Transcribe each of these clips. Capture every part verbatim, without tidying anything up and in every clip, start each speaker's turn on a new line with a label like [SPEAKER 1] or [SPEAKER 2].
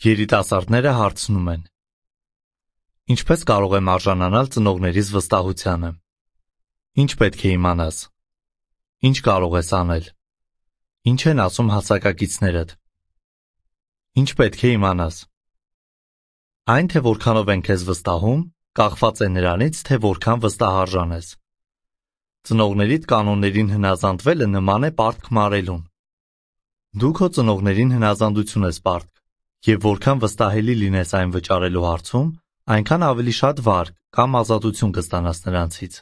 [SPEAKER 1] Երիտասարդները հարցնում են. Ինչպես կարող եմ արժանանալ ծնողներիս վստահությանը։ Ինչ պետք է իմանաս։ Ինչ կարող ես անել։ Ինչ են ասում հասակակիցներդ։ Ինչ պետք է իմանաս։ Այն, թե որքանով են քեզ վստահում, կախված է նրանից, թե որքան վստահարժան ես։ Ծնողներիդ կանոններին հնազանդվելը նման է պարտք մարելուն։ Դու քո ծնողներին հնազանդություն ես պարտք, և որքան վստահելի լինես այն վճարելու հարցում, այնքան ավելի շատ վարկ կամ ազատություն կստանաս նրանցից։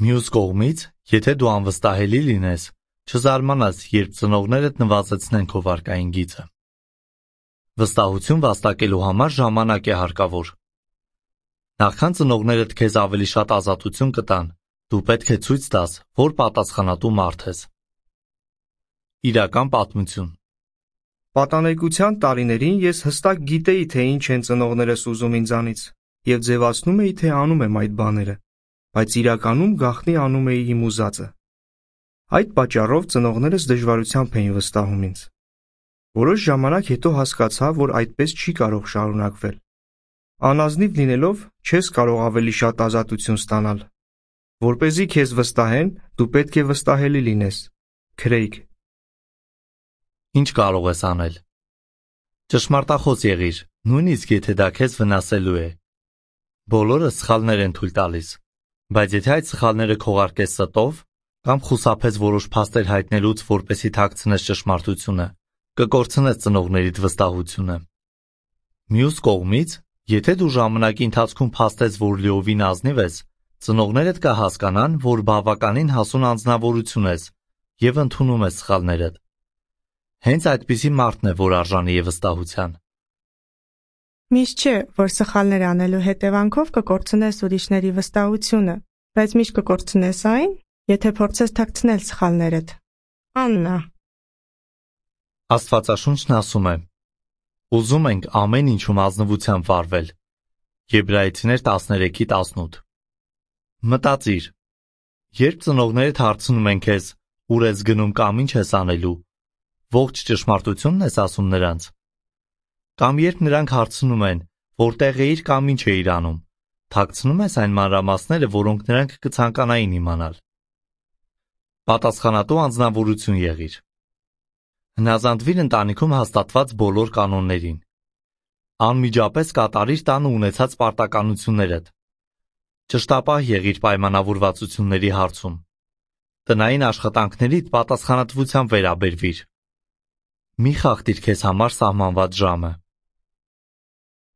[SPEAKER 1] Մյուս կողմից, եթե դու անվստահելի լինես, չզարմանաս, երբ ծնողներդ նվազեցնեն քո վարկային գիծը։ Վստահություն վաստակելու համար ժամանակ է հարկավոր։ Նախքան ծնողներդ քեզ ավելի շատ ազատություն կտան, դու պետք է ցույց տաս, որ պատասխանատու մարդ ես։ Իրական պատմություն։
[SPEAKER 2] Պատանեկության տարիներին ես հստակ գիտեի, թե ինչ են ծնողներս ուզում ինձանից, և ձևացնում էի, թե անում եմ այդ բաները, բայց իրականում գաղտնի անում էի իմ ուզածը։ Այդ պատճառով ծնողներս դժվարությամբ էին վստահում ինձ։ Որոշ ժամանակ հետո հասկացա, որ այդպես չի կարող շարունակվել։ Անազնիվ լինելով, չես կարող ավելի շատ ազատություն ստանալ։ Որպեսզի քեզ վստահեն, դու պետք է վստահելի լինես։ Քրեյգ։
[SPEAKER 1] Ինչ կարող ես անել։ Ճշմարտախոս եղիր, նույնիսկ եթե դա քեզ վնասելու է։ Բոլորը սխալներ են թույլ տալիս, բայց եթե այդ սխալները քողարկես ստով կամ խուսափես որոշ փաստեր հայտնելուց, որպեսզի թաքցնես ճշմարտությունը, կկորցնես ծնողներիդ վստահությունը։ Մյուս կողմից, եթե դու ժամանակի ընթացքում փաստես, որ լիովին ազնիվ ես, ծնողներդ կհասկանան, որ բավականին հասուն անձնավորություն ես և ընդունում ես սխալներդ։ Հենց այդպիսի մարդն է, որ արժանի է վստահության։
[SPEAKER 3] Միշտ չէ, որ սխալներ անելու հետևանքով կկորցնես ուրիշների վստահությունը, բայց միշտ կկորցնես այն, եթե փորձես թաքցնել սխալներդ։ Աննա։
[SPEAKER 1] Աստվածաշունչն ասում է. ուզում ենք ամեն ինչում ազնվությամբ վարվել։ Եբրայեցիներ տասներեքի տասնութ։ Մտածիր. երբ ծնողներդ հարցնում են քեզ, ուր ես գնում կամ ինչ ես անելու, ողջ ճշմարտությունն ես ասում նրանց։ Կամ երբ նրանք հարցնում են, որտեղ էիր կամ ինչ էիր անում, թաքցնում ես այն մանրամասները, որոնք նրանք կցանկանային իմանալ։ Պատասխանատու անձնավորություն եղիր։ Հնազանդվիր ընտանիքում հաստատված բոլոր կանոններին։ Անմիջապես կատարիր տանը ունեցած պարտականություններդ։ Ճշտապահ եղիր պայմանավորվածությունների հարցում։ Տնային աշխատանքներիդ պատասխանատվությամբ վերաբերվիր։ Մի խախտիր քեզ համար սահմանված ժամը։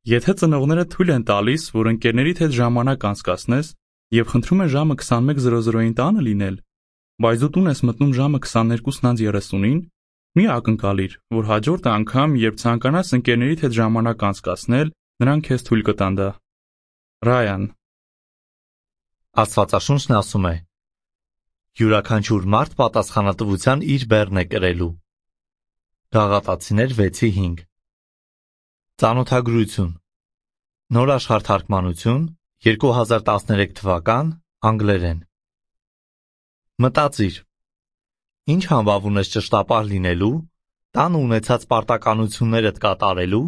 [SPEAKER 4] Եթե ծնողները թույլ են տալիս, որ ընկերներիդ հետ ժամանակ անցկացնես և խնդրում են ժամը քսանմեկ զրո զրոյին տանը լինել, բայց դու տուն ես մտնում ժամը քսաներկուսն անց երեսունին, մի ակնկալիր, որ հաջորդ անգամ, երբ ցանկանաս ընկերներիդ հետ ժամանակ անցկացնել, նրանք քեզ թույլ կտան դա։ Ռայան։
[SPEAKER 1] Աստվածաշունչն ասում է. յուրաքանչյուր մարդ պատասխանատվության իր բեռն է կրելու։ Գաղատացիներ վեցի հինգ։ Ծանոթագրություն։ Նոր աշխարհ թարգմանություն, երկու հազար տասներեք թվական, անգլերեն։ Մտածիր. ինչ համբավ ունես ճշտապահ լինելու, տանը ունեցած պարտականություններդ կատարելու,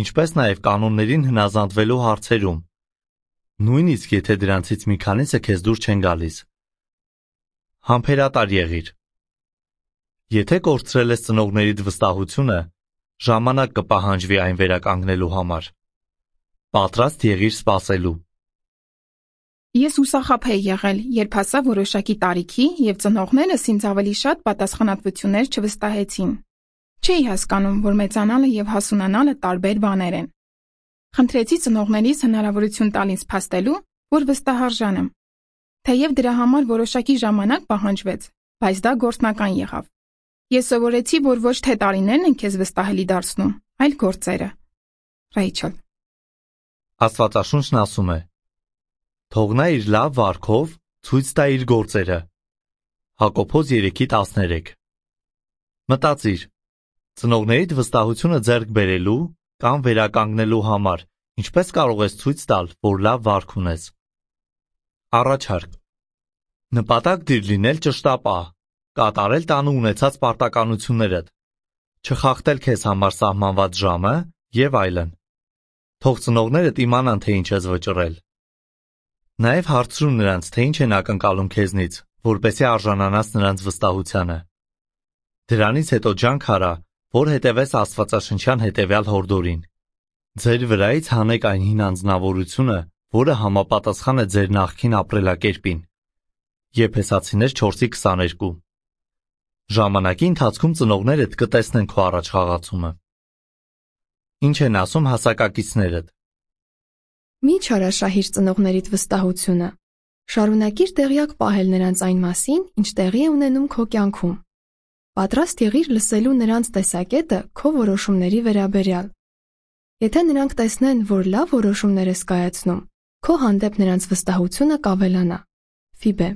[SPEAKER 1] ինչպես նաև կանոններին հնազանդվելու հարցերում, նույնիսկ եթե դրանցից մի քանիսը քեզ դուր չեն գալիս։ Համբերատար եղիր։ Եթե կորցրել ես ծնողներիդ վստահությունը, ժամանակ կպահանջվի այն վերականգնելու համար։ Պատրաստ եղիր սպասելու։
[SPEAKER 5] Ես հուսախաբ էի եղել, երբ հասա որոշակի տարիքի և ծնողներս ինձ ավելի շատ պատասխանատվություններ չվստահեցին։ Չէի հասկանում, որ մեծանալը և հասունանալը տարբեր բաներ են։ Խնդրեցի ծնողներիս հնարավորություն տալ ինձ փաստելու, որ վստահարժան եմ։ Թեև դրա համար որոշակի ժամանակ պահանջվեց, բայց դա գործնական եղավ։ Ես սովորեցի, որ ոչ թե տարիներն են քեզ վստահելի դարձնում, այլ գործերը։ Ռեյչել։
[SPEAKER 1] Աստվածաշունչն ասում է. թող նա իր լավ վարքով ցույց տա իր գործերը։ Հակոբոս երեքի տասներեք։ Մտածիր. ծնողներիդ վստահությունը ձեռք բերելու կամ վերականգնելու համար ինչպես կարող ես ցույց տալ, որ լավ վարք ունես։ Առաջարկ. նպատակ դիր լինել ճշտապահ, կատարել տանը ունեցած պարտականություններդ, չխախտել քեզ համար սահմանված ժամը եւ այլն։ Թող ծնողներդ իմանան, թե ինչ ես վճռել։ Նաեւ հարցրու նրանց, թե ինչ են ակնկալում քեզնից, որպեսզի արժանանաս նրանց վստահությանը։ Դրանից հետո ջանք արա, որ հետևես Աստվածաշնչյան հետևյալ հորդորին. ձեր վրայից հանեք այն հին անձնավորությունը, որը համապատասխան է ձեր նախկին ապրելակերպին։ Եփեսացիներ չորսի քսաներկու։ Ժամանակի ընթացքում ծնողներդ կտեսնեն քո առաջ խաղացումը։ Ինչ են ասում հասակակիցներդ։
[SPEAKER 6] Մի չարաշահիր ծնողներիդ վստահությունը։ Շարունակիր տեղյակ պահել նրանց այն մասին, ինչ տեղի է ունենում քո կյանքում։ Պատրաստ եղիր լսելու նրանց տեսակետը քո որոշումների վերաբերյալ։ Եթե նրանք տեսնեն, որ լավ որոշումներ ես կայացնում, քո հանդեպ նրանց վստահությունը կավելանա։ Ֆիբե։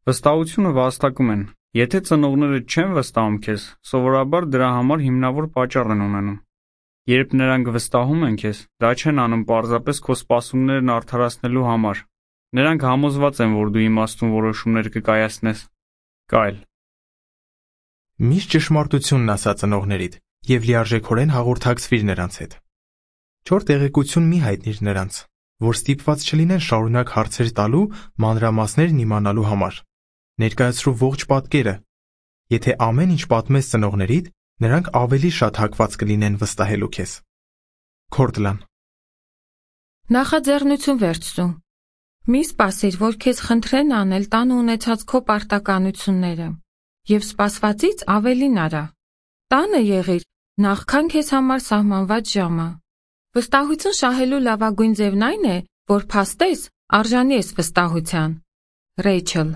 [SPEAKER 7] Վստահությունը վաստակում են։ Եթե ծնողները չեն վստահում քեզ, սովորաբար դրա համար հիմնավոր պատճառ են ունենում։ Երբ նրանք վստահում են քեզ, դա չեն անում պարզապես քո սպասումներն արդարացնելու համար։ Նրանք համոզված են, որ դու իմաստուն որոշումներ կկայացնես։ Կայլ։
[SPEAKER 8] Միշտ ճշմարտությունն ասա ծնողներիդ եւ լիարժեքորեն հաղորդակցվիր նրանց հետ։ Չոր տեղեկություն մի հայտնիր նրանց, որ ստիպված չլինեն շարունակ հարցեր տալու մանրամասներն իմանալու համար։ Ներկայացրու ողջ պատկերը։ Եթե ամեն ինչ պատմես ծնողներիդ, նրանք ավելի շատ հակված կլինեն վստահելու քեզ։ Քորտլան։
[SPEAKER 9] Նախաձեռնություն վերցրու։ Մի սպասիր, որ քեզ խնդրեն անել տանը ունեցած քո պարտականությունները, եւ սպասվածից ավելին արա։ Տանը եղիր, նախքան քեզ համար սահմանված ժամը։ Վստահություն շահելու լավագույն ձևն այն է, որ փաստես արժանի ես վստահության։ Ռեյչել։